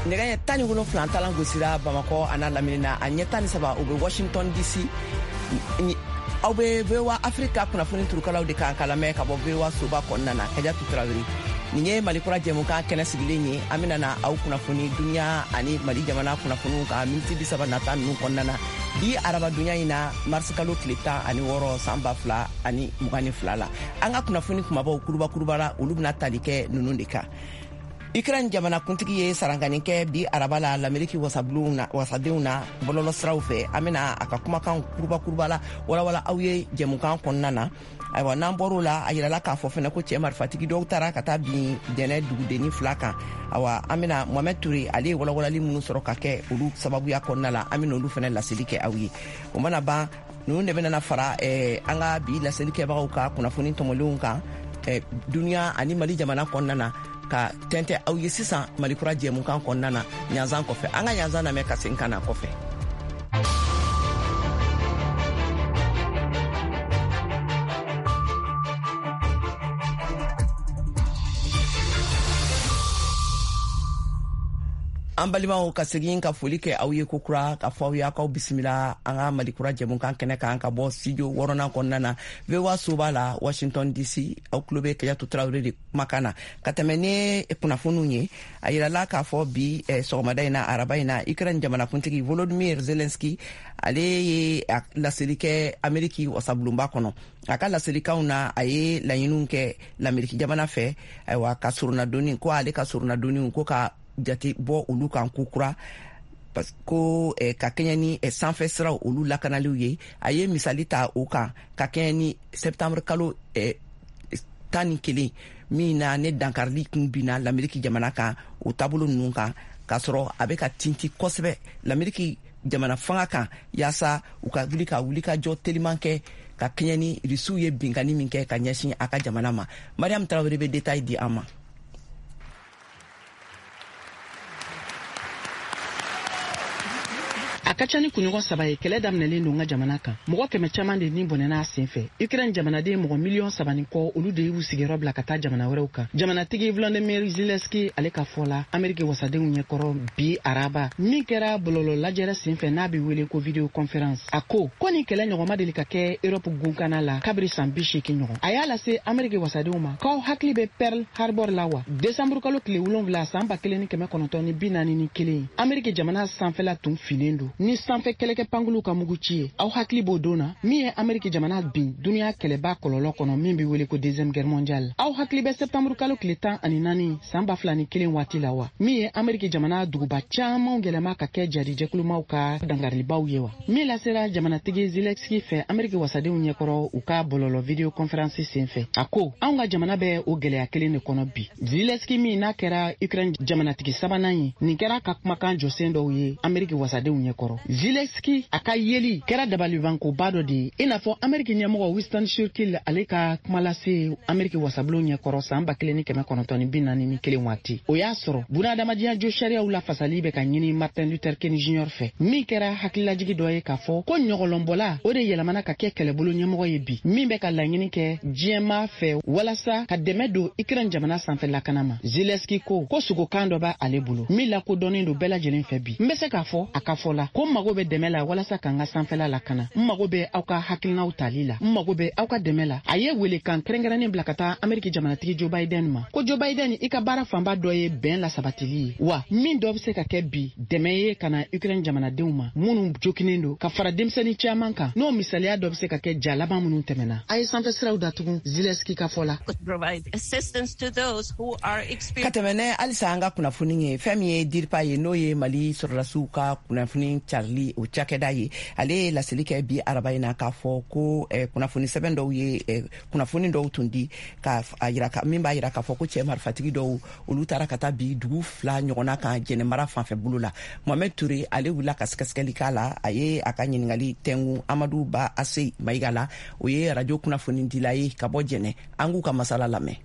Nɛgɛ ɲɛ 17 talan gosira Bamakɔ a n'a lamini na, a ɲɛ 13, o bɛ Washington DC. Aw bɛ VOA Afrika kunnafoni turukalaw de kan ka lamɛn ka bɔ VOA soba kɔnɔna na. Kajatu Tarawele, nin ye Mali Kura jɛmukan kɛnɛ sigilen ye. An bɛna na aw kunnafoni duniya ani Mali jamana kunnafoniw kan miniti 30 nata ninnu kɔnɔna na, bi arabadonya in na, marisikalo tile 16, san 2022 la. An ka kunnafoni kumabaw kuruba kuruba la, olu bɛna tali kɛ ninnu de kan: Ukraine jamanakuntigi ye sarankani kɛ bi araba la Lameriki wasabulonw na, wasadenw na, bɔlɔlɔ siraw fɛ. An bɛna a ka kumakan kuruba kuruba la walawala aw ye jɛmukan kɔnɔna na. Ayiwa, n'an bɔr'o la, a yirala k'a fɔ fɛnɛ ko cɛɛ marifatigi dɔw taara ka taa bin Jɛnɛ dugudenni fila kan. Awa, an bɛna Mohamɛd Ture, ale ye walawalali minnu sɔrɔ ka kɛ olu sababuya kɔnɔna la, an bɛna olu fɛnɛ laseli kɛ aw ye. O mana ban, ninnu de bɛna fara an ka bi laseli kɛbagaw ka kunnafoni tɔmɔlenw kan duniya ani Mali jamana kɔnɔna na, ka tɛntɛ aw ye sisan Malikura jɛmukan kɔnɔna na ɲanzan kɔfɛ. An ka ɲanzan lamɛn ka segin ka na kɔfɛ. An balimaw, ka segin ka foli kɛ aw ye kokura, ka fɔ aw ye k'aw bisimila an ka Malikura jɛmukan kɛnɛ kan ka bɔ studio wɔɔrɔnan kɔnɔna na, VOA soba la, Washington DC. Aw tulo bɛ Kajatu Tarawele de kumakan na. Ka tɛmɛ ni kunnafoniw ye, a yirala k'a fɔ bi sɔgɔmada in na, araba in na, Ukraine jamanakuntigi Volodymyr Zelensky, ale ye laseli kɛ Ameriki wasabulonba kɔnɔ. A ka laselikanw na, a ye laɲiniw kɛ Lameriki jamana fɛ, ayiwa, ka soronadonni ko, ale ka soronadonniw ko ka jate bɔ olu kan ko kura, ko ka kɛɲɛ ni sanfɛ siraw olu lakanaliw ye. A ye misali ta o kan ka kɛɲɛ ni septembre kalo 11 min na, ne dankarili kun binna Lameriki jamana kan, o taabolo ninnu kan, k'a sɔrɔ a bɛ ka tinti kosɛbɛ Lameriki jamana fanga kan, yaasa u ka wuli ka wuli ka jɔ teliman kɛ ka kɛɲɛ ni Risiw ye binkani min kɛ ka ɲɛsin a ka jamana ma. Mariam Tarawele bɛ détail di an ma. A ka ca ni kunɲɔgɔn 3 ye, kɛlɛ daminɛlen don n ka jamana kan. Mɔgɔ 100 caman de ni bɔnɛna a sen fɛ. Ukraine jamanaden mɔgɔ miliyɔn 3 ni kɔ, olu de y'u sigiyɔrɔ bila ka taa jamana wɛrɛw kan. Jamanatigi Volodymyr Zelensky, ale ka fɔ la Ameriki wasadenw ɲɛkɔrɔ bi araba, min kɛra bɔlɔlɔ lajɛrɛ sen fɛ n'a bɛ wele ko vidéo conférence, a ko ko nin kɛlɛ ɲɔgɔn ma deli ka kɛ Europe gunkana la kabiri san 80 ɲɔgɔn. A y'a lase Ameriki wasadenw ma k'aw hakili bɛ Pearl Harbor la wa? Desanburu kalo tile 7, san 1941, Ameriki jamana sanfɛla tun finnen don ni sanfɛ kɛlɛkɛ pankuluw ka muguci ye. Aw hakili b'o don na min ye Ameriki jamana bin duniɲa kɛlɛba kɔlɔlɔ kɔnɔ min be wele ko Deuxième Guerre mondiale? Aw hakili bɛ sɛptanburu kalo tile 14, san 2001 waati la wa, min ye Ameriki jamana duguba caamanw yɛlɛma ka kɛ jadijɛkulumaw ka dangarilibaw ye wa? Min lasera jamanatigi Zelensky fɛ Ameriki wasadenw ɲɛkɔrɔ u ka bɔlɔlɔ vidéo conférence sen fɛ, a ko anw ka jamana bɛ o gwɛlɛya kelen de kɔnɔ bi. Zelensky min n'a kɛra Ukraine jamanatigi sabanan ye, nin kɛra ka kumakan jɔsen dɔw ye Ameriki wasadenw ɲɛkɔrɔ. Zelensky a ka yeli kɛra dabalibankoba dɔ de ye, i n'a fɔ Ameriki ɲɛmɔgɔ Winston Churchill, ale ka kumalase Ameriki wasabulon ɲɛkɔrɔ san 1941 waati. O y'a sɔrɔ bunahadamadenya jo sariyaw lafasali bɛ ka ɲini Martin Luther King Jr fɛ, min kɛra hakililajigi dɔ ye k'a fɔ ko ɲɔgɔlɔnbɔla o de yɛlɛmana ka kɛ kɛlɛbolo ɲɛmɔgɔ ye bi, min bɛ ka laɲini kɛ diɲɛmaa fɛ walasa ka dɛmɛ don Ukraine jamana sanfɛ lakana ma. Zelensky ko ko sogokan dɔ b'ale bolo min lakodɔnnen don bɛɛ lajɛlen fɛ bi. N bɛ se k'a fɔ, a ka fɔ la, ko n mago bɛ dɛmɛ la walasa ka n ka sanfɛla lakana. N mago bɛ aw ka hakilinaw tali la, n mago bɛ aw ka dɛmɛ la. A ye welekan kɛrɛnkɛrɛnnen bila ka taa Ameriki jamanatigi Joe Biden ma, ko Joe Biden, i ka baara fanba dɔ ye bɛn lasabatili ye wa, min dɔ bɛ se ka kɛ bi dɛmɛ ye ka na Ukraine jamanadenw ma minnu jokinen don, ka fara denmisɛnnin caman kan, n'o misaliya dɔ bɛ se ka kɛ ja laban minnu tɛmɛna, a ye sanfɛ siraw datugu, Zelensky ka fɔ la. Ka tɛmɛ ne halisa an ka kunnafoni ye, fɛn min ye DIRPA ye, n'o ye Mali sɔrɔdasiw ka kunnafoni carili o cakɛda ye, ale ye laseli kɛ bi araba in na k'a fɔ ko kunnafoni sɛbɛn dɔw ye kunnafoni dɔw tun di ka a yira ka min b'a yira k'a fɔ ko cɛɛ marifatigi dɔw, olu taara ka taa bi dugu fila ɲɔgɔnna kan Jɛnɛ mara fanfɛ bolo la. Mohamɛd Ture, ale wulila ka sɛgɛsɛgɛli k'a la. A ye a ka ɲiningali tɛngu Amadu Ba Ase Mayiga la, o ye radio kunnafonidila ye ka bɔ Jɛnɛ. An k'u ka masala lamɛn.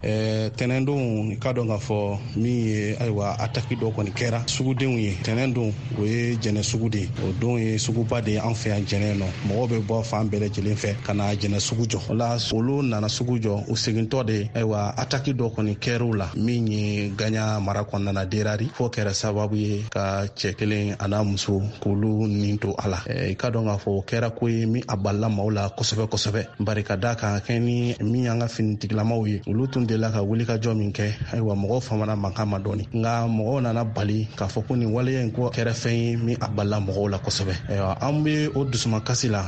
Tɛnɛndon, i ka dɔn k'a fɔ min ye, ayiwa, ataki dɔ kɔni kɛra sugudenw ye. Tɛnɛndon, o ye Jɛnɛ sugu de ye. O don ye suguba de ye an fɛ yan Jɛnɛ nɔ. Mɔgɔw bɛ bɔ fan bɛɛ lajɛlen fɛ ka na Jɛnɛ sugu jɔ. O la, olu nana sugu jɔ, u segintɔ de, ayiwa, ataki dɔ kɔni kɛr'u la min ye Gaɲa mara kɔnɔna na, Derari, fo kɛra sababu ye ka cɛ kelen a n'a muso k'olu nin to a la. I ka dɔn k'a fɔ o kɛra ko ye min a balila maaw la kosɛbɛ kosɛbɛ, bari ka da kan kɛ ni min y'an ka finitigilamaw ye, olu tun delila ka wuli ka jɔ min kɛ. Ayiwa, mɔgɔw famana mankan ma dɔɔni, nka mɔgɔw nana bali k'a fɔ ko nin waleya in ko kɛra fɛn ye min a balila mɔgɔw la kosɛbɛ. Ayiwa, an be o dusumakasi la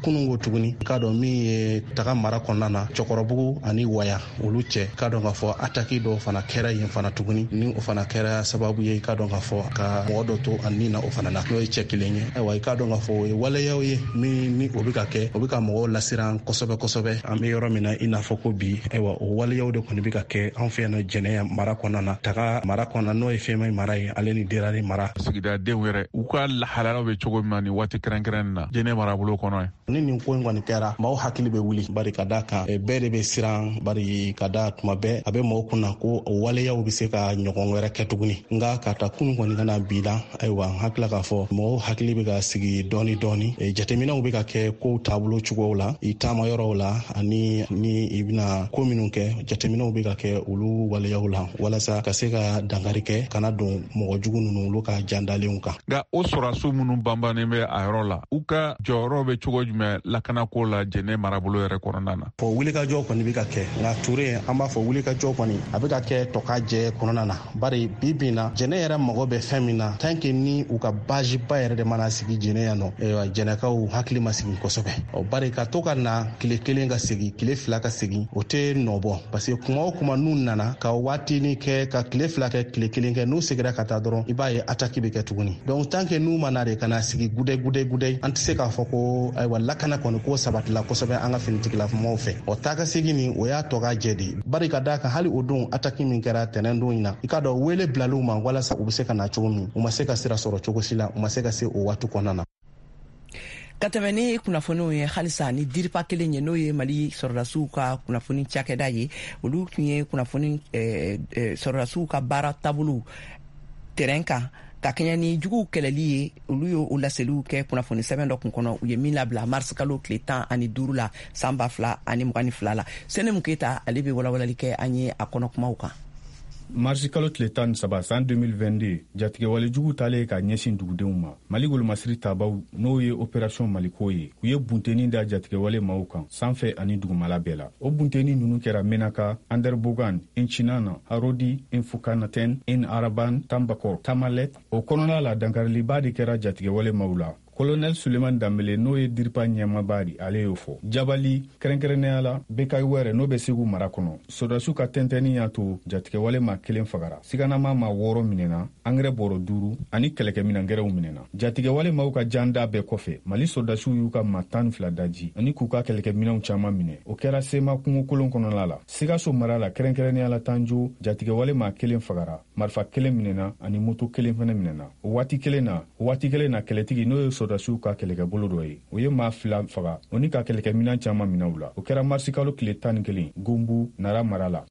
kunun ko tuguni, i k'a dɔn min ye Taga mara kɔnɔna na, Cɛkɔrɔbugu ani Waya olu cɛ, k'a dɔn k'a fɔ ataki dɔw fana kɛra yen fana tuguni, ni o fana kɛra sababu ye, i k'a dɔn k'a fɔ ka mɔgɔ dɔ to a nin na o fana na, n'o ye cɛ kelen ye. Ayiwa, i k'a dɔn k'a fɔ o ye waleyaw ye min ni o bɛ ka kɛ, o bɛ ka mɔgɔw lasiran kosɛbɛ kosɛbɛ. An bɛ yɔrɔ min na i n'a fɔ ko bi, ayiwa, o waleyaw de kɔni bɛ ka kɛ an fɛ yan nɔ Jɛnɛ mara kɔnɔna na, Taga mara kɔnɔna, n'o ye Fema mara ye, ale ni Derari mara. Sigidadenw yɛrɛ, u ka lahalaw bɛ cogo min na nin waati kɛrɛnkɛrɛn na Jɛnɛ marabolo kɔnɔ ye? Ni nin ko in kɔni kɛra, maaw hakili bɛ wuli, bari ka da kan bɛɛ de bɛ siran, bari ka da tuma bɛɛ a bɛ maaw kunna ko waleyaw bɛ se ka ɲɔgɔn wɛrɛ kɛ tuguni. Nka ka ta kunun kɔni ka na bi la, ayiwa, n hakilila k'a fɔ mɔgɔw hakili bɛ ka sigi dɔɔni dɔɔni. Jateminɛw bɛ ka kɛ kow taabolo cogow la, i taama yɔrɔw la, ani ni i bɛna ko minnu kɛ, jateminɛw bɛ ka kɛ olu waleyaw la walasa ka se ka dankari kɛ kana don mɔgɔ jugu ninnu olu ka jandalenw kan. Nka o sɔrɔdasiw minnu banbannen bɛ a yɔrɔ la, u ka jɔyɔrɔ bɛ cogo jumɛn lakanako la Jɛnɛ marabolo yɛrɛ kɔnɔna na? Fɔ wulikajɔ kɔni bɛ ka kɛ, nka Ture, an b'a fɔ wulikajɔ kɔni a bɛ ka kɛ tɔka jɛ kɔnɔna na, bari bi bi na Jɛnɛ yɛrɛ mago bɛ fɛn min na, tant que ni u ka basiba yɛrɛ de mana sigi Jɛnɛ yan nɔ, ayiwa, Jɛnɛkaw hakili ma sigi kosɛbɛ. Ɔ bari ka to ka na tile 1 ka segin, tile 2 ka segin, o tɛ nɔ bɔ, parce que kuma o kuma n'u nana ka waatinin kɛ, ka tile 2 kɛ, tile 1 kɛ, n'u seginna ka taa dɔrɔn, i b'a ye ataki bɛ kɛ tuguni. Donc tant que n'u ma na de ka na sigi gudɛ gudɛ gudɛ, an tɛ se k'a fɔ ko, ayiwa, lakana kɔni ko sabatila kosɛbɛ an ka finitigilamaw fɛ. Ɔ taa ka segin nin, o y'a tɔ ka jɛ de, bari ka d'a kan hali o don ataki min kɛra tɛnɛn don in na, i k'a dɔn wele bilal'u ma walasa u bɛ se ka na cogo min, u ma se ka sira sɔrɔ cogo si la, u ma se ka se o waati kɔnɔna na. Ka tɛmɛ ni kunnafoniw ye halisa ni DIRPA kelen ye, n'o ye Mali sɔrɔdasiw ka kunnafoni cakɛda ye, olu tun ye kunnafoni sɔrɔdasiw ka baara taabolow terrain kan ka kɛɲɛ ni juguw kɛlɛli ye, olu ye o laseliw kɛ kunnafoni sɛbɛn dɔ kun kɔnɔ, u ye min labila mars kalo tile 15 la, san 2022 la. Senemu Keyita, ale bɛ walawalali kɛ an ye a kɔnɔ kumaw kan. Marisi kalo tile 13 san 2022, jatigɛwalejugu talen ka ɲɛsin dugudenw ma, Mali golomasiri tabaw, n'o ye Opération Maliko ye, u ye bunteni da jatigɛwale maaw kan sanfɛ ani dugumala bɛɛ la. O bunteni ninnu kɛra Menaka, Anderbogan, Incinana, Harodi, Infukanaten, In Araban, Tambakor, Tamalet. O kɔnɔna la, dankariliba de kɛra jatigɛwale maaw la. Kolonɛl Suleman Danbele, n'o ye DIRPA ɲɛmaba di, ale y'o fɔ. Jabali, kɛrɛnkɛrɛnnenya la Bekayi wɛrɛ, n'o bɛ Segu mara kɔnɔ, sɔrɔdasiw ka tɛntɛnni y'a to jatigɛwale maa kelen fagara, siganama maa 6 minɛna, angɛrɛ bɔrɔ 5 ani kɛlɛkɛminan gɛrɛw minɛna. Jatigɛwale maaw ka janda bɛɛ kɔfɛ, Mali sɔrɔdasiw y'u ka maa 12 daji ani k'u ka kɛlɛkɛminɛnw caman minɛ. O kɛra Sema kungokolon kɔnɔna la. Sikaso mara la, kɛrɛnkɛrɛnnenya la Tanjo, jatigɛwale maa kelen fagara, marifa kelen minɛna ani moto kelen fɛnɛ minɛna. O waati kelen na, kɛlɛtigi, n'o ye sɔrɔdasiw ka kɛlɛkɛbolo dɔ ye, o ye maa 2 faga, o ni ka kɛlɛkɛminan caman minɛ u la. O kɛra marisikalo tile 11, Gonbu Nara mara la.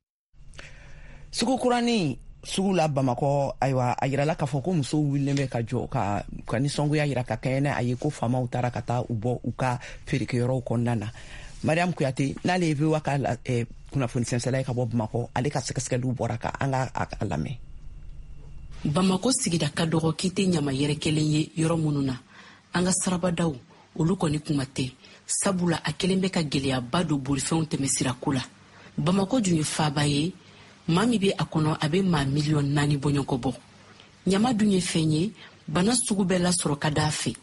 Sugu kuranin sugu la Bamakɔ, ayiwa, a yirala k'a fɔ ko musow wulilen bɛ ka jɔ ka nisɔngoya yira ka kɛɲɛ n'a ye ko faamaw taara ka taa u bɔ u ka feerekɛyɔrɔw kɔnɔna na. Mariam Kuyate, n'ale ye VOA ka kunnafoni sɛnsɛla ye ka bɔ Bamakɔ, ale ka sɛgɛsɛgɛliw bɔra ka an ka a lamɛn. Bamako sigida ka dɔgɔ k'i tɛ ɲama yɛrɛ kelen ye yɔrɔ minnu na, an ka sirabadaw, olu kɔni kuma tɛ, sabula a kelen bɛ ka gwɛlɛyaba don bolifɛnw tɛmɛsirako la. Bamako dun ye faaba ye, maa min bɛ a kɔnɔ, a bɛ maa miliyɔn 4 bɔɲɔgɔn bɔ. Ɲama dun ye fɛn ye, bana sugu bɛɛ lasɔrɔ ka d'a fɛ.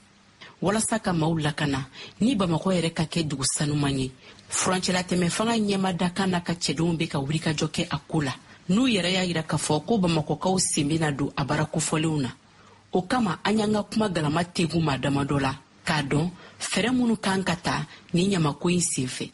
Walasa ka maaw lakana ni Bamakɔ yɛrɛ ka kɛ dugu sanuman ye, furancɛlatɛmɛ fanga ɲɛma dakan n'a ka cɛdenw bɛ ka wulikajɔ kɛ a ko la, n'u yɛrɛ y'a yira k'a fɔ ko Bamakɔkaw sen bɛna don a baara kofɔlenw na. O kama, an y'an ka kuma galama tegu maa damadɔ la k'a dɔn fɛɛrɛ minnu kan ka ta ni ɲamako in sen fɛ.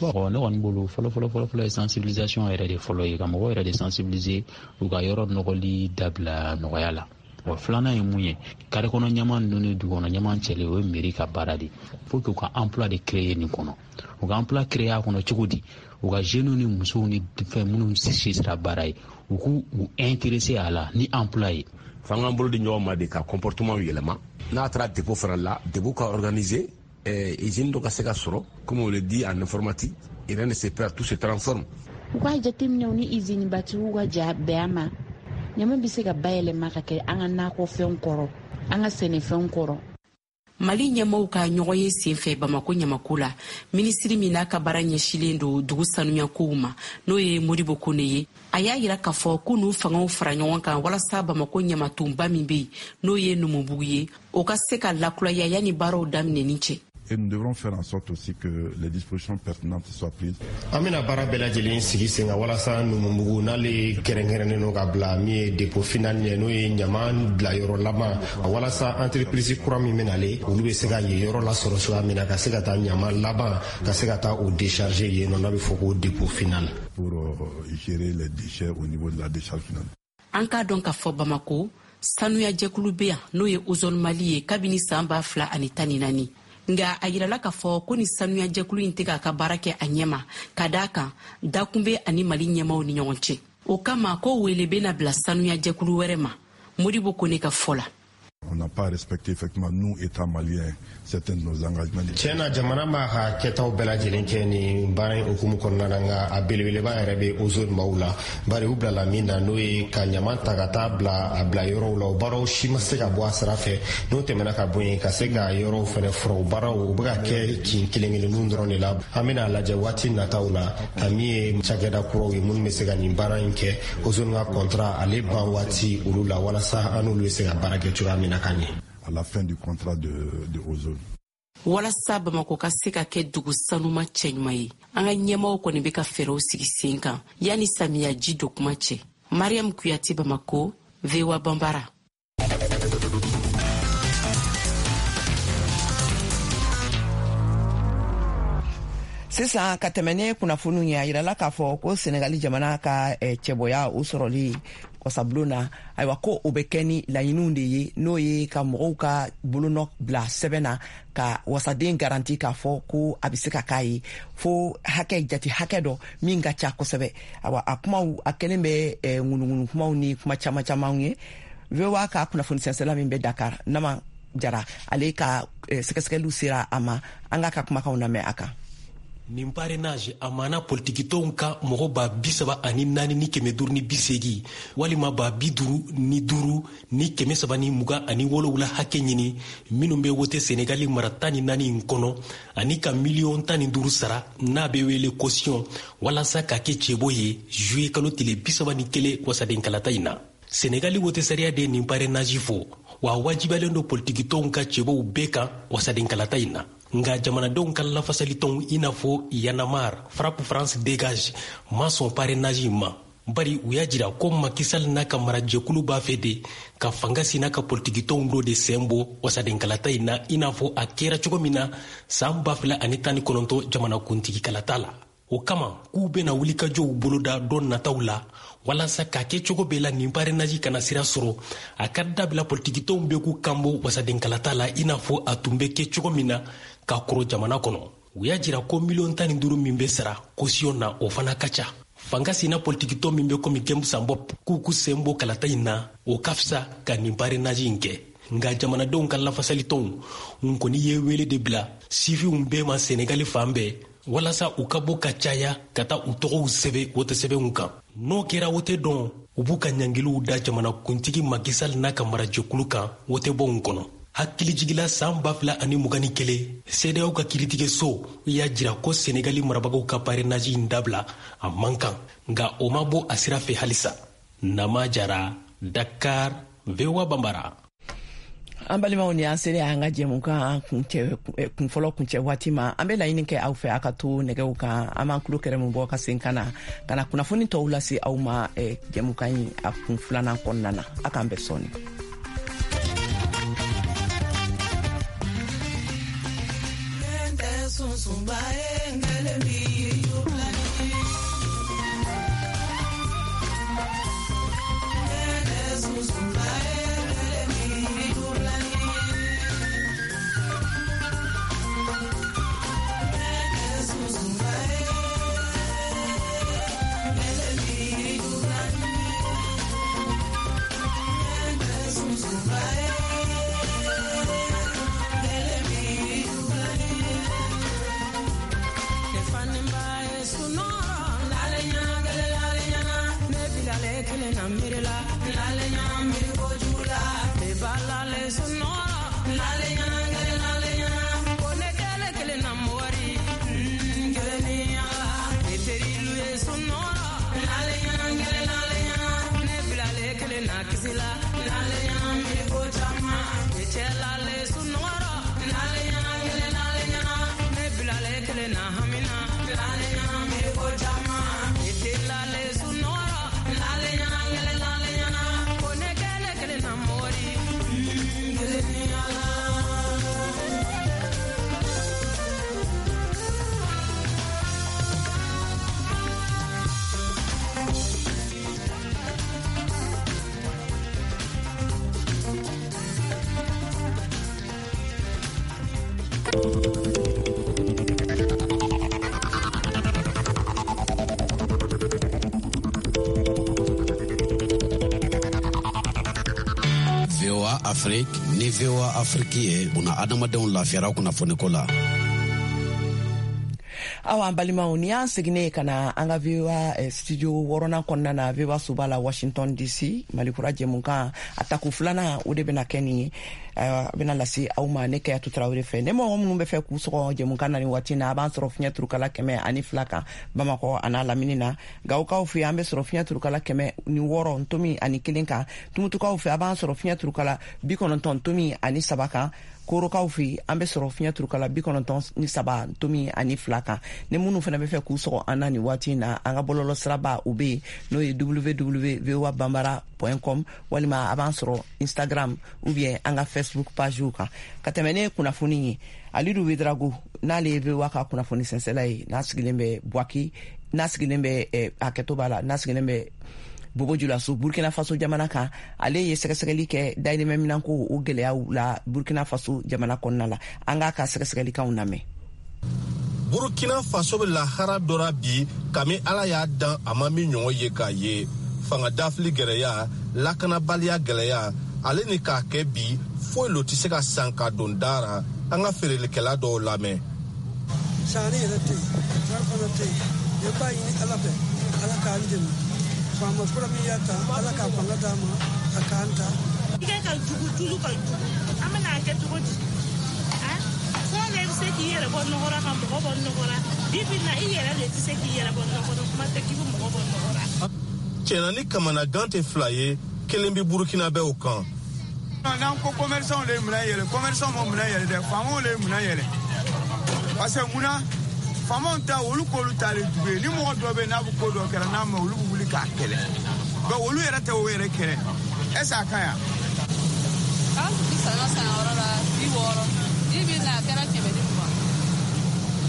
Bon, ne kɔni bolo, fɔlɔ fɔlɔ fɔlɔ fɔlɔ ye sensibilisation yɛrɛ de fɔlɔ ye, ka mɔgɔw yɛrɛ de sensibiliser u ka yɔrɔ nɔgɔli dabila nɔgɔya la. Wa filanan ye mun ye, kare kɔnɔ ɲaman ninnu ni dugu kɔnɔ ɲaman cɛli, o ye mairie ka baara de. Faut que u ka emploi de créer nin kɔnɔ. U ka emploi créer a kɔnɔ cogo di? U ka jeunes ni musow ni fɛn minnu si sera baara ye, u k'u u intéresser a la ni emploi ye. F'an k'an bolo di ɲɔgɔn ma de ka comportement yɛlɛma. N'a taara dépôt fana la, dépôt ka organiser, usine dɔ ka se ka sɔrɔ. Comme on le dit en informatique, rien ne se perd, tout se transforme. U k'a jateminɛ u ni izini batigiw ka ja bɛn a ma. Ɲama bɛ se ka bayɛlɛma ka kɛ an ka nakɔfɛnw kɔrɔ, an ka sɛnɛfɛnw kɔrɔ. Mali ɲɛmaw ka ɲɔgɔn ye senfɛ Bamako ɲamako la, minisiri min n'a ka baara ɲɛsilen don dugu sanuyakow ma, n'o ye Modibo Kone ye, a y'a yira k'a fɔ k'u n'u fangaw fara ɲɔgɔn kan walasa Bamako ɲamatonba min be yen, n'o ye Numubugu ye, o ka se ka lakuraya yanni baaraw daminɛni cɛ. Et nous devrons faire en sorte aussi que les dispositions pertinentes soient prises. An bɛna baara bɛɛ lajɛlen sigi sen kan walasa Numubugu n'ale kɛrɛnkɛrɛnnen don ka bila min ye dépôt final ye, n'o ye ɲama bila yɔrɔ laban, walasa entreprise kura min bɛ nale, olu bɛ se ka yen yɔrɔ lasɔrɔ cogoya min na, ka se ka taa ɲama laban, ka se ka taa o décharger yen nɔ, n'a bɛ fɔ ko dépôt final. Pour gérer les déchets au niveau de la décharge finale. An k'a dɔn k'a fɔ Bamako sanuyajɛkulu bɛ yan, n'o ye Ozone Mali ye, kabini san 2014. Nka a yirala k'a fɔ ko ni sanuyajɛkulu in tɛ k'a ka baara kɛ a ɲɛma, ka d'a kan dakun bɛ ani Mali ɲɛmaw ni ɲɔgɔn cɛ. O kama ko wele bɛna bila sanuyajɛkulu wɛrɛ ma, Modibo Kone ka fɔ la. On n'a pas respecté effectivement, nous, État malien, certains de nos engagements. Tiɲɛ na, jamana b'a ka kɛtaw bɛɛ lajɛlen kɛ nin baara in hukumu kɔnɔna na, nka a belebeleba yɛrɛ bɛ Ozone maaw la, bari u bilala min na, n'o ye ka ɲama ta ka taa bila a bila yɔrɔw la, o baaraw si ma se ka bɔ a sira fɛ. N'o tɛmɛna ka bɔ yen, ka se ka yɔrɔw fɛnɛ fura, o baaraw u bɛ ka kɛ kin kelen kelenninw dɔrɔn de la. An bɛna lajɛ waati nataw la ka min ye cakɛda kuraw ye minnu bɛ se ka nin baara in kɛ, Ozone ka contrat ale ban waati olu la, walasa an n'olu bɛ se ka baara kɛ cogoya min na ka ɲɛ. À la fin du contrat de Ozone. Walasa Bamako ka se ka kɛ dugu sanuma cɛɲuman ye, an ka ɲɛmaw kɔni bɛ ka fɛɛrɛw sigi sen kan yanni samiya ji don kuma cɛ. Mariam Kuyate, Bamako, VOA Banbara. Sisan ka tɛmɛ ni kunnafoniw ye, a yirala k'a fɔ ko Senegali jamana ka cɛbɔya o sɔrɔli wasabulon na, ayiwa, ko o bɛ kɛ ni laɲiniw de ye, n'o ye ka mɔgɔw ka bolonɔ bila sɛbɛn na ka wasaden garanti k'a fɔ ko a bɛ se ka k'a ye fo hakɛ jate hakɛ dɔ min ka ca kosɛbɛ. Ayiwa, a kumaw a kɛlen bɛ ŋunuŋunu kumaw ni kuma caman camanw ye. VOA ka kunnafoni sɛnsɛla min bɛ Dakar, Nama Jara, ale ka sɛgɛsɛgɛliw sera a ma. An k'a ka kumakanw lamɛn a kan. Nin parrainage a mana politikitɔnw ka mɔgɔ 34,580 walima 55,327 hakɛ ɲini minnu bɛ wote Senegali mara 14 in kɔnɔ, ani ka miliyɔn 15 sara, n'a bɛ wele caution, walasa ka kɛ cɛbɔ ye juillet kalo tile 31 wasadenkalata in na. Senegali wote sariya de nin parrainage fɔ wa wajibiyalen don politikitɔnw ka cɛbɔw bɛɛ kan wasadenkalata in na. Nka jamanadenw ka lafasalitɔnw i n'a fɔ Y'en a marre, FRAPP France Dégage ma sɔn parrainage in ma, bari u y'a jira ko Macky Sall n'a ka marajɛkulu b'a fɛ de ka fanga sina ka politikitɔnw dɔ de sen bɔ wasadenkalata in na, i n'a fɔ a kɛra cogo min na san 2019 jamanakuntigikalata la. O kama k'u bɛna wulikajɔw boloda don nataw la walasa k'a kɛ cogo bɛɛ la nin parrainage kana sira sɔrɔ, a ka dabila politikitɔnw bɛ k'u kanbɔ wasadenkalata la, i n'a fɔ a tun bɛ kɛ cogo min na ka kɔrɔ jamana kɔnɔ. U y'a jira ko miliyɔn 15 min bɛ sara caution na, o fana ka ca. Fanga sina politikitɔn min bɛ komi Gem Sa Bopp k'u k'u sen bɔ kalata in na, o ka fisa ka nin parrainage in kɛ. Nka jamanadenw ka lafasalitɔnw n kɔni ye wele de bila sifinw bɛɛ ma Senegali fan bɛɛ walasa u ka bɔ ka caya ka taa u tɔgɔw sɛbɛn wote sɛbɛnw kan. N'o kɛra wote dɔn, u b'u ka ɲangiliw da jamanakuntigi Macky Sall n'a ka marajɛkulu kan wotebonw kɔnɔ. Hakilijigila, san 2021, CEDEAO ka kiiritigɛso y'a jira ko Senegali marabagaw ka parrainage in dabila a man kan, nka o ma bɔ a sira fɛ halisa. Nama Jara, Dakar, VOA Banbara. An balimaw, ni an selen an ka jɛmukan kuncɛ kunfɔlɔ kuncɛ waati ma, an bɛ laɲini kɛ aw fɛ a ka to nɛgɛw kan. An b'an tulo kɛrɛmu bɔ ka sen ka na ka na kunnafoni tɔw lase aw ma jɛmukan in a kun filanan kɔnɔna na. A k'an bɛn sɔɔni. Sunsunba ye ngelen bi sunsunba ye. VOA Afrique ni VOA Afrique ye buna adamadenw lafiyara kunnafoniko la. Awa an balimaw, ni y'an seginnen ka na an ka VOA studio wɔɔrɔnan kɔnɔna na, VOA soba la, Washington DC. Malikura jɛmukan a tako filanan, o de bɛna kɛ nin ye, a bɛna lase aw ma ne Kayatu Tarawele fɛ. Ne mɔgɔ minnu bɛ fɛ k'u sɔgɔ jɛmukan na ni waati na, a b'an sɔrɔ fiɲɛ turukala 102 kan Bamakɔ a n'a lamini na. Gawokaw fɛ, an bɛ sɔrɔ fiɲɛ turukala 106.1 kan. Tumutukaw fɛ, a b'an sɔrɔ fiɲɛ turukala 90.3 kan. Korokaw fɛ, an bɛ sɔrɔ fiɲɛ turukala 93.2 kan. Ni minnu fana bɛ fɛ k'u sɔgɔ an na nin waati na, an ka bɔlɔlɔ siraba o bɛ yen, n'o ye www voa bambara com, walima a b'an sɔrɔ Instagram ou bien an ka Facebook page kan. Ka tɛmɛ ne kunnafoni ye, Alidu Wedrago, n'ale ye VOA ka kunnafoni sɛnsɛla ye, n'a sigilen bɛ Buwaki, n'a sigilen bɛ, hakɛto b'a la, n'a sigilen bɛ Bobo Julaso, Burkina Faso jamana kan, ale ye sɛgɛsɛgɛli kɛ dayirimɛ minɛnko o gɛlɛyaw la Burkina Faso jamana kɔnɔna la. An k'a ka sɛgɛsɛgɛlikanw lamɛn. Burkina Faso bɛ lahara dɔ ra bi, kami Ala y'a dan a ma min ɲɔgɔn ye k'a ye. Fanga dafili gɛlɛya, lakanabaliya gɛlɛya, ale ni k'a kɛ bi foyi lo tɛ se ka san ka don da ra. An ka feerelikɛla dɔw lamɛn. Sanni yɛrɛ tɛ yen, wari fana tɛ yen. Ne b'a ɲini Ala fɛ, Ala k'an dɛmɛ. Faama kura min y'a ta, Ala k'a fanga d'a ma, a k'an ta. Tigɛ ka jugu, tulu ka jugu, an bɛna a kɛ cogo di? Fɔlɔ la, i bɛ se k'i yɛrɛ bɔ nɔgɔ la ka mɔgɔ bɔ nɔgɔ la. Bi bi in na, i yɛrɛ de tɛ se k'i yɛrɛ bɔ nɔgɔ la, kuma tɛ k'i bɛ mɔgɔ bɔ nɔgɔ la. Tiɲɛna, ni kamanagan tɛ fila ye, kelen bɛ Burukinabew kan. N'an ko commerçant de ye minɛn yɛlɛ, commerçant ma minɛn yɛlɛ dɛ, faamaw de ye minɛn yɛlɛ. Parce que munna faamaw ta, olu k'olu ta de jugu ye. Ni mɔgɔ dɔ bɛ yen n'a bɛ ko dɔ kɛra n'a ma, olu bɛ wuli k'a kɛlɛ. Donc olu yɛrɛ tɛ o yɛrɛ kɛlɛ, est ce que a ka ɲi? An tun bɛ saɲɔ san yɔrɔ la 60, bi bi in na a kɛra 120.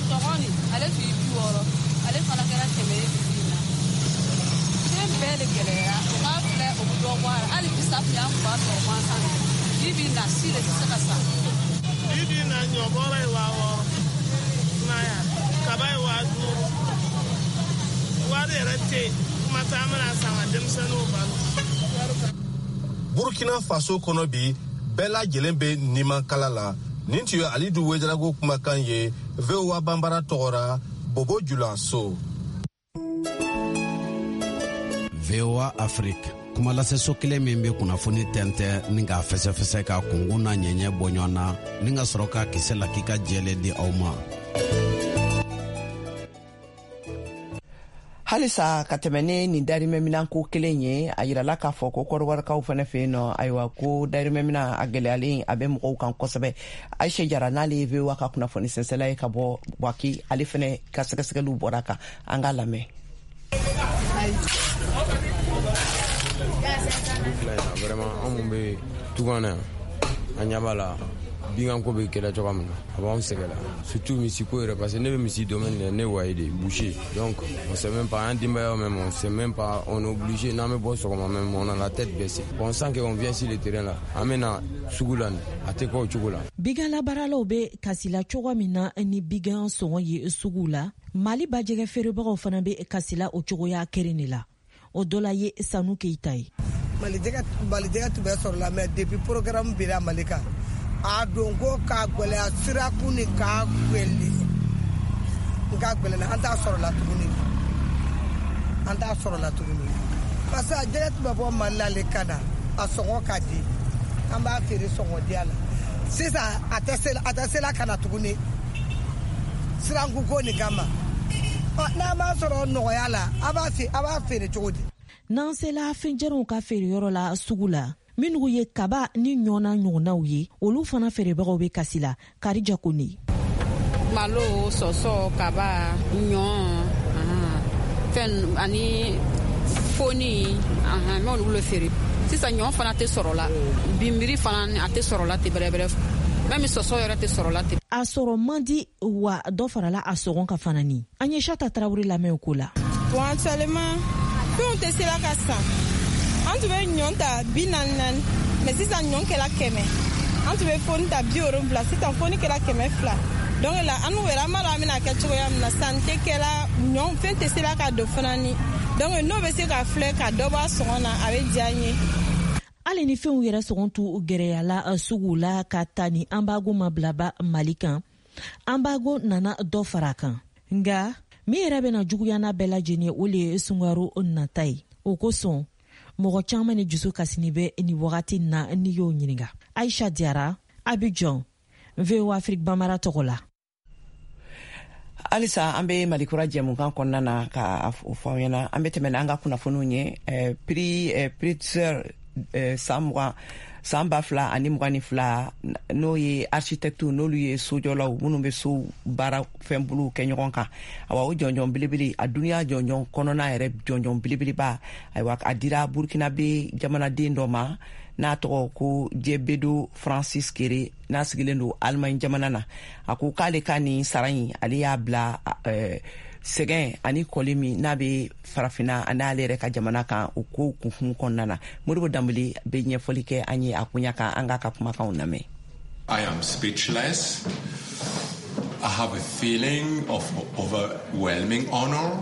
Sɔgɔ nin, ale tun ye 60, ale fana kɛra 100 ye bi bi in na. Fɛn bɛɛ de gɛlɛyara. O k'a filɛ, o bɛ dɔ bɔ a la. Hali bisapu y'an tun b'a sɔrɔ gansan de, bi bi in na si de tɛ se ka san. Bi bi in na, ɲɔbɔrɔ ye 6000, sumaya kaba ye 5000. Wari yɛrɛ tɛ yen, kuma tɛ an bɛna san ka denmisɛnninw balo. Burkina Faso kɔnɔ bi, bɛɛ lajɛlen bɛ nimankala la. Nin tun ye Alidu Wedarago kumakan ye VOA Banbara tɔgɔra, Bobo Julaso. VOA Afrique, kumalaseso kelen min bɛ kunnafoni tɛntɛn ni k'a fɛsɛfɛsɛ, ka kunkun n'a ɲɛɲɛ bɔ ɲɔgɔn na, ni ka sɔrɔ ka kisɛ lakika jɛlen di aw ma. Halisa ka tɛmɛ ne nin darimɛminanko kelen ye, a yirala k'a fɔ ko kɔdiwarikaw fɛnɛ fɛ yen nɔ, ayiwa, ko darimɛminan a gɛlɛyalen a bɛ mɔgɔw kan kosɛbɛ. Ayise Jara, n'ale ye VOA ka kunnafoni sɛnsɛla ye ka bɔ Bwaki, ale fɛnɛ ka sɛgɛsɛgɛliw bɔra kan. An k'a lamɛn. Vraiment, an mun bɛ tunga na yan, an ɲɛ b'a la binkanko bɛ kɛlɛ cogoya min na, a b'anw sɛgɛn la, surtout misiko yɛrɛ, parce que ne bɛ misi domaine de, ne waye de boucher. Donc on sait même pas, an denbayaw même, on sait même pas. On est obligé, n'an bɛ bɔ sɔgɔma même, on a la tête baissée. Bon, on sent qu'on vient sur le terrain là, an bɛ na sugu la, a tɛ kɛ o cogo la. Biganlabaaralaw bɛ kasila cogo min na ni bigan sɔngɔ ye sugu la, Mali bajɛgɛ feerebagaw fana bɛ kasila o cogoya kelen de la. O dɔ la ye Sanu Keyita ye. Malijɛgɛ tun bɛ sɔrɔ la, mais depuis programme bira Mali kan, a don ko k'a gwɛlɛya, sirakun ni k'a gwɛlɛ n k'a gwɛlɛna, an t'a sɔrɔ la tuguni, an t'a sɔrɔ la tuguni, parce que a jɛgɛ tun bɛ bɔ Mali la le ka na, a sɔngɔ ka di, an b'a feere sɔngɔ diya la. Sisan a tɛ se la ka na tuguni sirankuko nin kama. N'a m'a sɔrɔ nɔgɔya la, a b'a feere cogo di? N'an sela fɛnjaranw ka feereyɔrɔ la sugu la. Minnu ye kaba ni ɲɔ n'a ɲɔgɔnnaw ye, olu fana feerebagaw bɛ kasi la. Karija Kone. Malo, sɔsɔ, kaba, ɲɔ, fɛn ani foni, n bɛ olu le feere. Sisan ɲɔ fana tɛ sɔrɔ la, binbiri fana a tɛ sɔrɔ la ten bɛrɛbɛrɛ, même sɔsɔ yɛrɛ tɛ sɔrɔ la ten. A sɔrɔ man di, wa dɔ farala a sɔngɔ kan fana. Ni an ye Sata Tarawele lamɛn o ko la. Bon, actuellement fɛnw tɛ sera ka san. An tun bɛ ɲɔ ta 44, mais sisan ɲɔ kɛra 100. An tun bɛ foni ta 70, sisan foni kɛra 200. Donc la an yɛrɛ an b'a dɔn an bɛna kɛ cogoya min na. Sanni tɛ kɛra, ɲɔ fɛn tɛ sera ka don fana ni. Donc n'o bɛ se ka filɛ ka dɔ bɔ a sɔngɔ na, a bɛ diya n ye. Hali ni fɛnw yɛrɛ sɔngɔ t'u gɛrɛyala sugu la ka ta ni embargo ma bilaba Mali kan, embargo nana dɔ fara a kan. Nka min yɛrɛ bɛna juguya n'a bɛɛ lajɛlen ye, o le ye sunkaro nata ye. O kosɔn mɔgɔ caman ni dusu kasini bɛ nin wagati na n'i y'o ɲininka. Aisha Diara, Abidjan, VOA Afrique Bambara tɔgɔ la. Halisa an bɛ Malikura jɛmukan kɔnɔna na ka fɔ aw ɲɛna. An bɛ tɛmɛ n'an ka kunnafoniw ye. Prix Pritzker san 20, san 2022, n'o ye architecte, n'olu ye sojɔlaw minnu bɛ so baara fɛn bolow kɛ ɲɔgɔn kan, awa, o jɔnjɔn belebele, a duniya jɔnjɔn kɔnɔna yɛrɛ jɔnjɔn belebeleba, ayiwa, a dira Burkinabe jamanaden dɔ ma n'a tɔgɔ ko Jɛbedo Francis Kere, n'a sigilen don Allemagne jamana na. A ko k'ale ka nin sara in, ale y'a bila sɛgɛn ani kɔli min n'a bɛ Farafinna ani ale yɛrɛ ka jamana kan, o ko kunfin kɔnɔna na. Modibo Danbele bɛ ɲɛfɔli kɛ an ye a koɲa kan. An k'a ka kumakanw lamɛn. I am speechless. I have a feeling of overwhelming honor.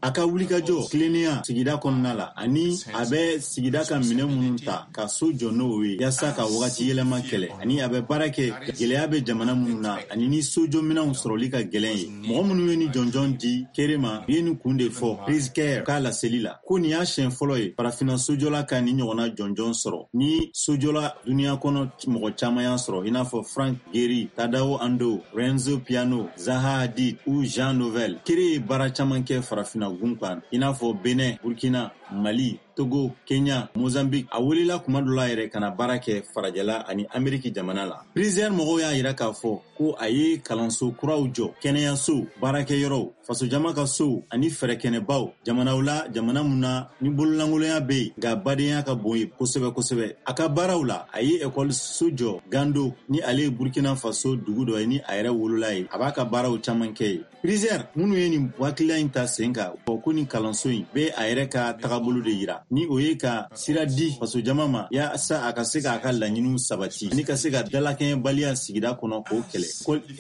A ka wulikajɔ tilennenya sigida kɔnɔna la, ani a bɛ sigida ka minɛ minnu ta ka so jɔ n'o ye yaasa ka wagati yɛlɛma kɛlɛ, ani a bɛ baara kɛ gwɛlɛya bɛ jamana minnu na ani ni sojɔminɛnw sɔrɔli ka gwɛlɛn ye. Mɔgɔ minnu ye ni jɔnjɔn di Kere ma, u ye nin kun de fɔ Pritzker k'a laseli la, ko nin y'a siɲɛ fɔlɔ ye Farafina sojɔla ka nin ɲɔgɔnna jɔnjɔn sɔrɔ. Ni sojɔla duniɲa kɔnɔ mɔgɔ caman y'a sɔrɔ, i n'a fɔ Frank Gehry, Tadao Ando, Renzo Piano, Zaha Hadid ou Jean Nouvel. Kere ye baara caman kɛ Farafina gun kan, i n'a fɔ Benin, Burkina, Mali, Togo, Kenya, Mozambique. A welela kuma dɔ la yɛrɛ ka na baara kɛ farajɛla ani Ameriki jamana la. Pritzker mɔgɔw y'a yira k'a fɔ ko a ye kalanso kuraw jɔ, kɛnɛyasow, baarakɛyɔrɔw, fasojama ka sow ani fɛɛrɛkɛnɛbaw jamanaw la, jamana mun na ni bololankolonya bɛ yen nka badenya ka bon ye kosɛbɛ kosɛbɛ. A ka baaraw la, a ye ekɔliso jɔ Gando, ni ale ye Burkina Faso dugu dɔ ye ni a yɛrɛ wolola ye. A b'a ka baaraw caman kɛ ye. Pritzker minnu ye nin hakilila in ta sen kan, ko nin kalanso in bɛ a yɛrɛ ka tagabolo de yira, ni o ye ka sira di fasojama ma yaasa a ka se k'a ka laɲiniw sabati ani ka se ka dalakɛɲɛbaliya sigida kɔnɔ k'o kɛlɛ.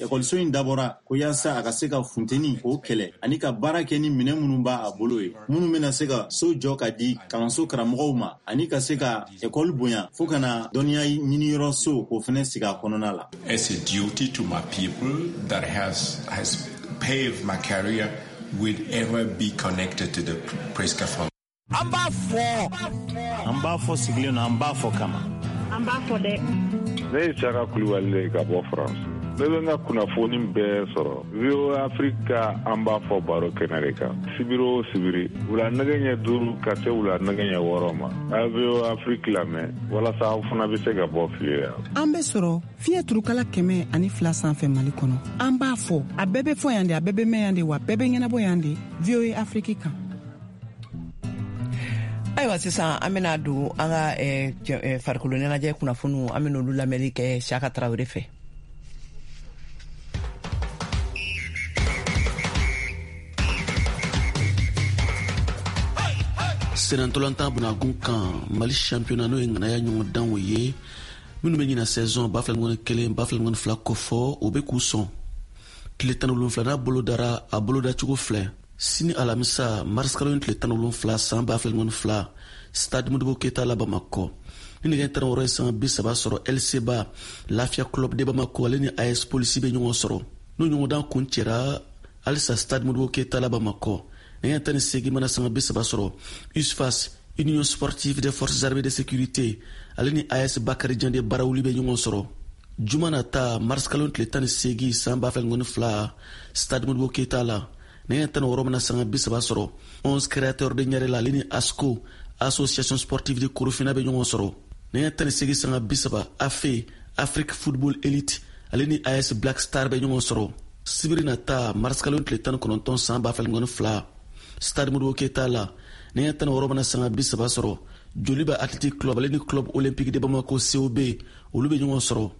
Ekɔliso in dabɔra ko yaasa a ka se ka funteni k'o kɛlɛ ani ka baara kɛ ni minɛn minnu b'a a bolo ye, minnu bɛna se ka so jɔ ka di kalanso karamɔgɔw ma ani ka se ka ekɔli bonya fo ka na dɔnniya ɲiniyɔrɔ so k'o fɛnɛ sigi a kɔnɔna la. It's a duty to my people that has paved my career will ever be connected to the Pritzker Foundation. An b'a fɔ, an b'a fɔ sigilen don, an b'a fɔ kama. An b'a fɔ dɛ. Ne ye Saka Kulibali de ye ka bɔ France. Ne bɛ n ka kunnafoni bɛɛ sɔrɔ VOA Afrique ka An b'a fɔ baro kɛnɛ de kan, sibiri o sibiri, wula nɛgɛ ɲɛ 5 ka se wula nɛgɛ ɲɛ 6 ma. A ye VOA Afrique lamɛn walasa aw fana bɛ se ka bɔ fili la. An bɛ sɔrɔ fiɲɛ turukala 102 sanfɛ Mali kɔnɔ. An b'a fɔ, a bɛɛ bɛ fɔ yan de, a bɛɛ bɛ mɛn yan de, wa bɛɛ bɛ ɲɛnabɔ yan de, VOA Afrique kan. Ayiwa, sisan an bena don an ka farikolo ɲɛnajɛ kunnafoniw. An bena olu lamɛnni kɛ Siyaka Tarawele fɛ. Senantolantan bunagun kan, Mali championnat, n'o ye ŋanaya ɲɔgɔndanw ye minnu bɛ ɲina saison 2021 2022 kɔfɔ, o bɛ k'u sɔn. Tile 17nan bolodara, a bolodacogo filɛ: sini alamisa, marisikalo tile 17, san 2022, Stade Modibo Keyita la Bamakɔ, ni nɛgɛ 16 ye sanga 30 sɔrɔ, LCBA, Lafiya Club de Bamako, ale ni AS Polisi bɛ ɲɔgɔn sɔrɔ. N'o ɲɔgɔndan kun cɛra, halisa Stade Modibo Keyita la Bamakɔ, nɛgɛ 18 mana sanga 30 sɔrɔ, USFAS, Union Sportive des Forces Armées de Sécurité, ale ni AS Bakarijan de Barawuli bɛ ɲɔgɔn sɔrɔ. Juma nata, marisikalo tile 18, san 2022, Stade Modibo Keyita la, nɛgɛ 16 mana sanga 30 sɔrɔ, 11 Créateurs de Ɲarela, ale ni ASCO, Association Sportive de Korofina, bɛ ɲɔgɔn sɔrɔ. Nɛgɛ 18:30, AFE Afrique Football Elite ale ni AS Black Star bɛ ɲɔgɔn sɔrɔ. Sibiri nata, marisikalo tile 19 san 2022, Stade Modibo Keyita la, nɛgɛ 16 mana sanga 30 sɔrɔ, Joliba Athletic Club ale ni Club Olympique de Bamako COB olu bɛ ɲɔgɔn sɔrɔ.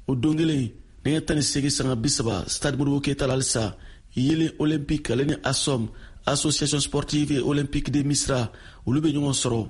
O don kelen, nɛgɛ 18:30, Stade Modibo Keyita la halisa, Yeelen Olympique ale ni ASOM Association Sportive et Olympique de Misra olu bɛ ɲɔgɔn sɔrɔ.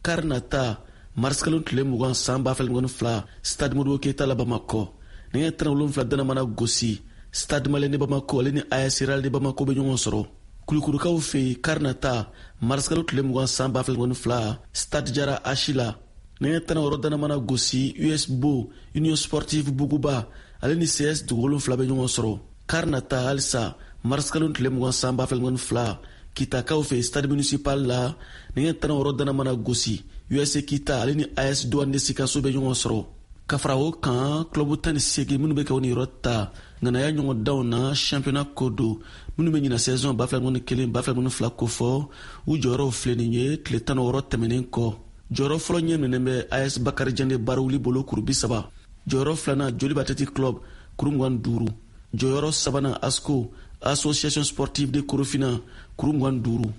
Kari nata, marisikalo tile 20 san 2022, Stade Modibo Keyita la Bamakɔ, nɛgɛ 17 dana mana gosi, Stade Malien de Bamako ale ni AS Real de Bamako bɛ ɲɔgɔn sɔrɔ. Kulukorokaw fɛ yen, kari nata, marisikalo tile 20 san 2022, Stade Jara Ashi la, nɛgɛ 16 dana mana gosi, US Bo Union Sportive Buguba ale ni CS Dugu 7 bɛ ɲɔgɔn sɔrɔ. Kari nata halisa, marisikalo tile 20 san 2022, Kitakaw fɛ Stade Municipal la, nɛgɛ 16 dana mana gosi, USA Kita ale ni AS Douane de Sikaso bɛ ɲɔgɔn sɔrɔ. Ka fara o kan, club 18 minnu bɛ kɛ o niyɔrɔ ta ŋanaya ɲɔgɔndanw na championnat ko don, minnu bɛ ɲina saison 2021 2022 kofɔ, u jɔyɔrɔw filɛ nin ye tile 16 tɛmɛnen kɔ. Jɔyɔrɔ fɔlɔ ɲɛ minɛnen bɛ AS Bakarijan de Barawuli bolo, kuru 30. Jɔyɔrɔ filanan, Joliba Athletic Club, kuru 25. Jɔyɔrɔ sabanan, ASCO Association Sportive de Korofina, kuru 25.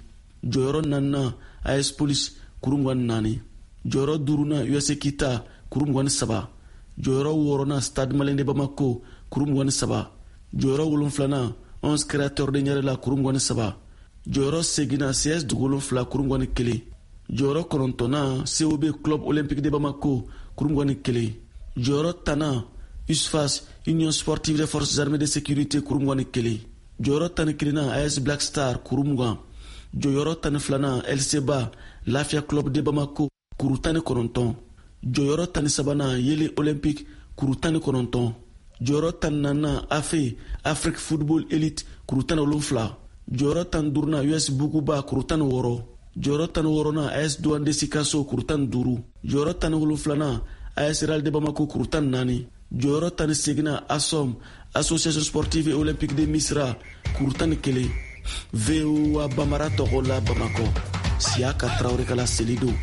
Jɔyɔrɔ naaninan, AS Police, kuru 24. Jɔyɔrɔ duurunan, USA Kita, kuru 23. Jɔyɔrɔ wɔɔrɔnan, Stade Malien de Bamako, kuru 23. Jɔyɔrɔ wolonfilanan, 11 Créateurs de Ɲarela, kuru 23. Jɔyɔrɔ seginnan, CS Dugu 7, kuru 21. Jɔyɔrɔ kɔnɔntɔnnan, COB Club Olympique de Bamako, kuru 21. Jɔyɔrɔ tannan, USFAS Union Sportive des Forces Armées de Sécurité, kuru 21. Jɔyɔrɔ 11nan, AS Black Star, kuru 20. Jɔyɔrɔ 12nan, LCBA Lafia Club de Bamako, kuru 19. Jɔyɔrɔ 13nan, Yeelen Olympique, kuru 19. Jɔyɔrɔ 14nan, AFE Afrique Football Elite, kuru 17. Jɔyɔrɔ 15nan, US Buguba, kuru 16. Jɔyɔrɔ 16nan, AS Douane de Sikaso, kuru 15. Jɔyɔrɔ 17nan, AS Real de Bamako, kuru 14. Jɔyɔrɔ 18nan, ASOM Association Sportive et Olympique de Misra, kuru 11. VOA Bambara tɔgɔ la Bamakɔ, Siyaka Tarawele ka laseli don.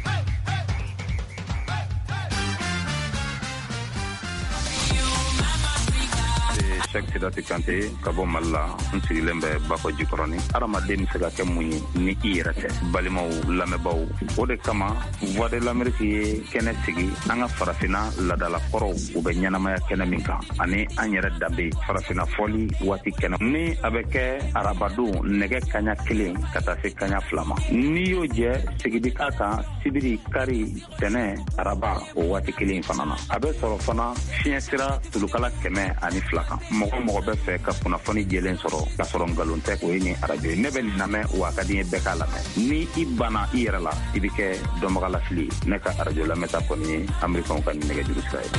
Cheick Sidati Kante ka bɔ Mali la, n sigilen bɛ Bakɔ Jikɔrɔni. Hadamaden bɛ se ka kɛ mun ye ni i yɛrɛ tɛ? Balimaw, lamɛnbaaw, o de kama Voix de l'Amérique ye kɛnɛ sigi an ka farafinna laadalakɔrɔw u bɛ ɲɛnamaya kɛnɛ min kan, ani an yɛrɛ danbe farafinna fɔli waati kɛnɛ ni a bɛ kɛ arabadon nɛgɛ kaɲa 1 ka taa se kaɲa 2 ma. N'i y'o jɛ, sigi bi k'a kan sibiri, kari, tɛnɛ, araba o waati kelen fana na. A bɛ sɔrɔ fana fiɲɛ sira tulukala 102 kan. Mɔgɔ mɔgɔ bɛ fɛ ka kunnafoni jɛlen sɔrɔ k'a sɔrɔ nkalon tɛ, o ye nin arajo ye. Ne bɛ nin lamɛn, wa a ka di n ye bɛɛ k'a lamɛn. Ni i banna i yɛrɛ la, i bɛ kɛ dɔnbagalafili ye. Ne ka arajo lamɛnta kɔni ye Amerikɛnw ka nin nɛgɛjuru sira ye.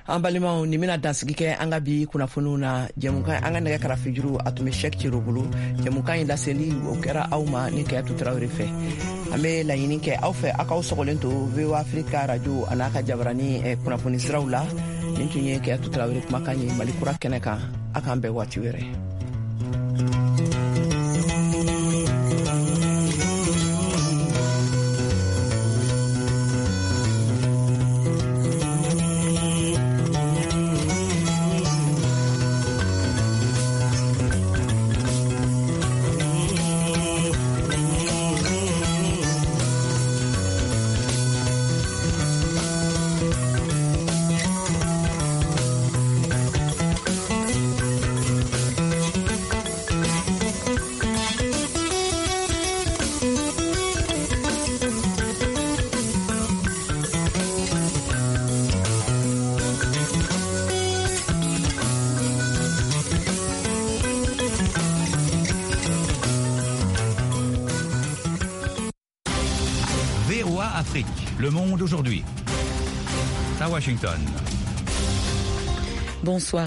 An balimaw, nin bɛna dansigi kɛ an ka bi kunnafoniw na. Jɛmukan an ka nɛgɛ karafejuru a tun bɛ Cheick Cero bolo. Jɛmukan in laseli o kɛra aw ma ni Kayatu Tarawele fɛ. An bɛ laɲini kɛ aw fɛ, aw k'aw sɔgɔlen to VOA Afrique radio a n'a ka jabarani kunnafoni siraw la. Nin tun ye Kayatu Tarawele kumakan ye Mali kura kɛnɛ kan. A k'an bɛn waati wɛrɛ. VOA Afrique, le monde aujourd'hui. À Washington. Bonsoir.